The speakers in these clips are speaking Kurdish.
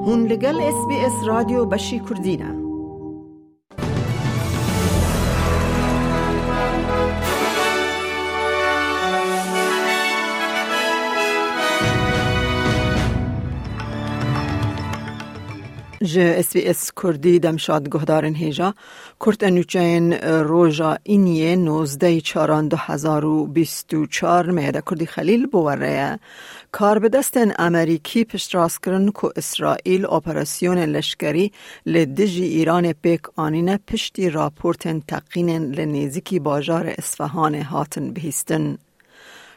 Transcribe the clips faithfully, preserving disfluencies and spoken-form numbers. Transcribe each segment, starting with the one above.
Hûn li gel S B S Radyo Beşî Kurdî ne. Ji S B S Kurdî demşad guhdarên hêja. Kurte nûçeyên roja Îniyê nozdeh çaran du hezar û bîst û çar Meyede Kurdî Xelîl bi we re ye. Karbidestên Amerîkî piştrast kirin ku Îsraîl operasyonên leşkerî li dijî Îranê pêk anîne piştî raportên teqînên li nêzîkî bajarê Isfahanê hatin bihîstin.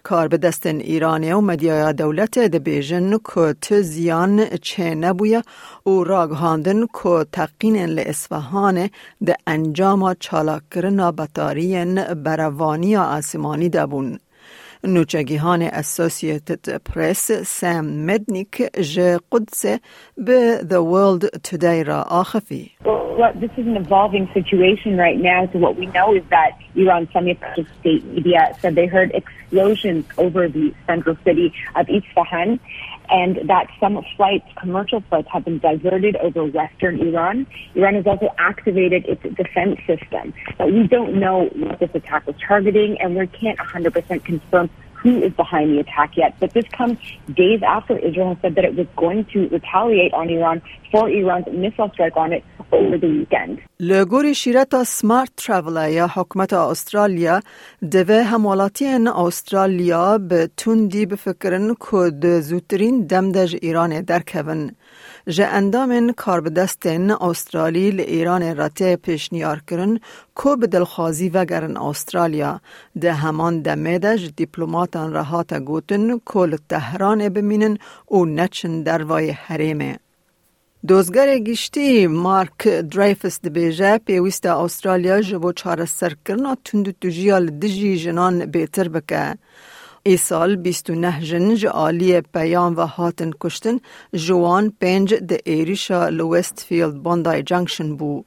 Karbidestên Îranê û medyaya dewletê dibêjin ku tu ziyan çênebûye û ragihandin ku teqînên li Isfahanê di encama çalakkirina betariyên berevaniya asîmanî de bûn. Nûçegîhanê Associated Press Sam Mednick ji Qudsê bi The World Today re axifî. Well, this is an evolving situation right now. So what we know is that Iran's semi-fascist state media said they heard explosions over the central city of Isfahan, and that some flights, commercial flights, have been diverted over western Iran. Iran has also activated its defense system, but we don't know what this attack was targeting, and we can't one hundred percent confirm who is behind the attack yet. But this comes days after Israel has said that it was going to retaliate on Iran for Iran's missile strike on it over the weekend. Li gorî şîreta Smart Traveller ya hikûmeta Australya, divê hemwelatiyên Australya bi tundî bifikirin ku di zûtirîn dem de ji Îranê derkevin. Ji endamên karbidestên Australî li Îranê re tê pêşniyarkirin ku bi dilxwazî vegerin Australya. Di heman demê de ji dîplomatan re hate gotin ku li Tehranê bimînin û neçin dervayê herêmê. Dozgerê Giştî Mark Dreyfus dibêje, pêwîst e Australya ji bo çareserkirina tundûtûjiya li dijî jinan bêtir bike. Îsal bîst û neh jin ji aliyê peyan ve hatin kuştin, ji wan pênc di êrîşa li Westfield Bondi Junction bû.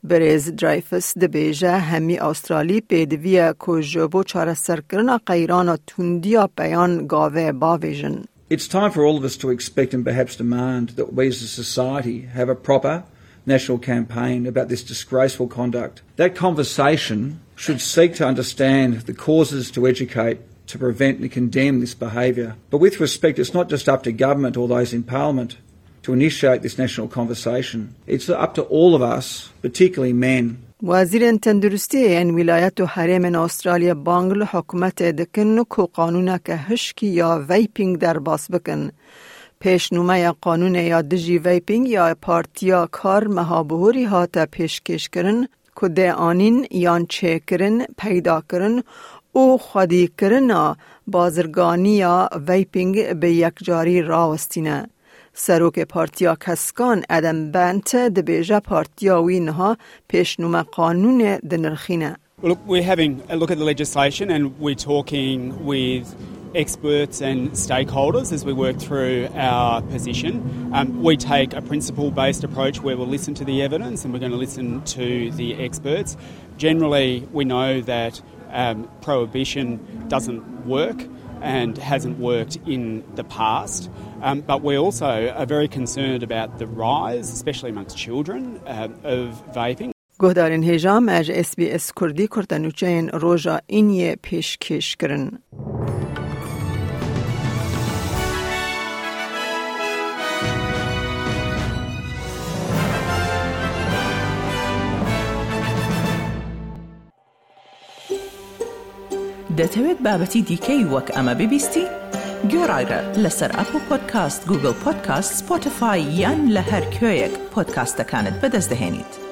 Birêz Dreyfus dibêje, hemî Australî pêdivî ye ku ji bo çareserkirina qeyrana tundiya peyan gavê bavêjin. It's time for all of us to expect and perhaps demand that we as a society have a proper national campaign about this disgraceful conduct. That conversation should seek to understand the causes, to educate, to prevent and condemn this behaviour. But with respect, it's not just up to government or those in parliament to initiate this national conversation. It's up to all of us, particularly men. Wezîrên tenduristiyê yên wîlayet û herêmên Australya bang li hikûmetê dikin ku qanûneke hişkî ya vaping derbas bikin. Pêşnûmeya qanûnê ya dijî vaping ya Partiya Kar meha bihurî hate pêşkêşkirin ku dê anîn yan çêkirin, peydakirin û xwedîkirina bazirganiya vaping bi yekcarî rawestîne. Serokê Partiya Keskan Adam Bent dibêje partiya wî niha pêşnûme qanûnê dinirxîne. Look, we're having a look at the legislation and we're talking with experts and stakeholders as we work through our position. Um, we take a principle-based approach where we'll listen to the evidence and we're gonna listen to the experts. Generally, we know that, um, prohibition doesn't work and hasn't worked in the past, um, but we also are very concerned about the rise, especially amongst children, um, of vaping. Guhdarên hêja, me ji S B S Kurdî kurtenûçeyên roja Îniyê pêşkêş kirin. دەتەوێت بابەتی دیکەی وەک ئەمە ببیستی؟ گوێڕایرە لەسەر ئەپڵ پۆدکاست، گوگڵ پۆدکاست، سپۆتیفای یان لە هەر کوێیەک پۆدکاستەکانت بەدەست دەهێنیت.